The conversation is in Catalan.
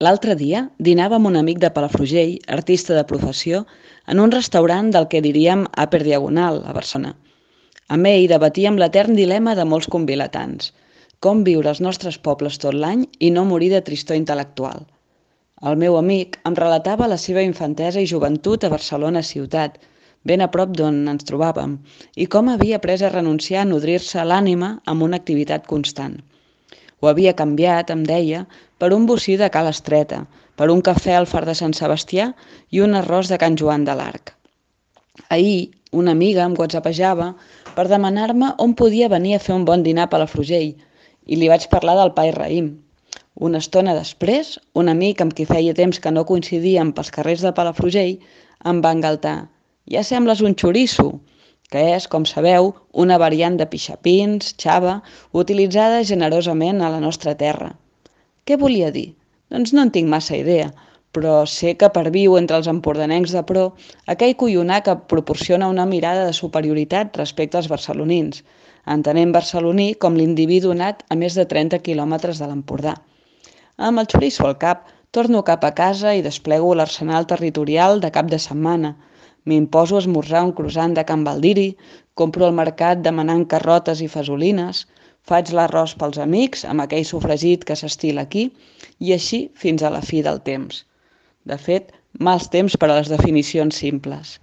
L'altre dia dinava amb un amic de Palafrugell, artista de professió, en un restaurant del que diríem Upper Diagonal, a Barcelona. Amb ell debatíem l'etern dilema de molts convilatans. Com viure als nostres pobles tot l'any i no morir de tristor intel·lectual. El meu amic em relatava la seva infantesa i joventut a Barcelona ciutat, ben a prop d'on ens trobàvem, i com havia après a renunciar a nodrir-se l'ànima amb una activitat constant. Ho havia canviat, em deia, per un bocí de Cala Estreta, per un cafè al Far de Sant Sebastià i un arròs de Can Joan de l'Arc. Ahir, una amiga em whatsappejava per demanar-me on podia venir a fer un bon dinar a Palafrugell i li vaig parlar del pa i raïm. Una estona després, un amic amb qui feia temps que no coincidíem pels carrers de Palafrugell em va engaltar. Ja sembles un xoriço, que és, com sabeu, una variant de pixapins, xava, utilitzada generosament a la nostra terra. Què volia dir? Doncs no en tinc massa idea, però sé que perviu entre els empordanencs de pro aquell collonà que proporciona una mirada de superioritat respecte als barcelonins, entenent barceloní com l'individu nat a més de 30 quilòmetres de l'Empordà. Amb el xoriço al cap, torno cap a casa i desplego l'arsenal territorial de cap de setmana. M'imposo a esmorzar un croissant de Can Baldiri, compro al mercat demanant carrotes i fesolines, faig l'arròs pels amics amb aquell sofregit que s'estila aquí i així fins a la fi del temps. De fet, mals temps per a les definicions simples.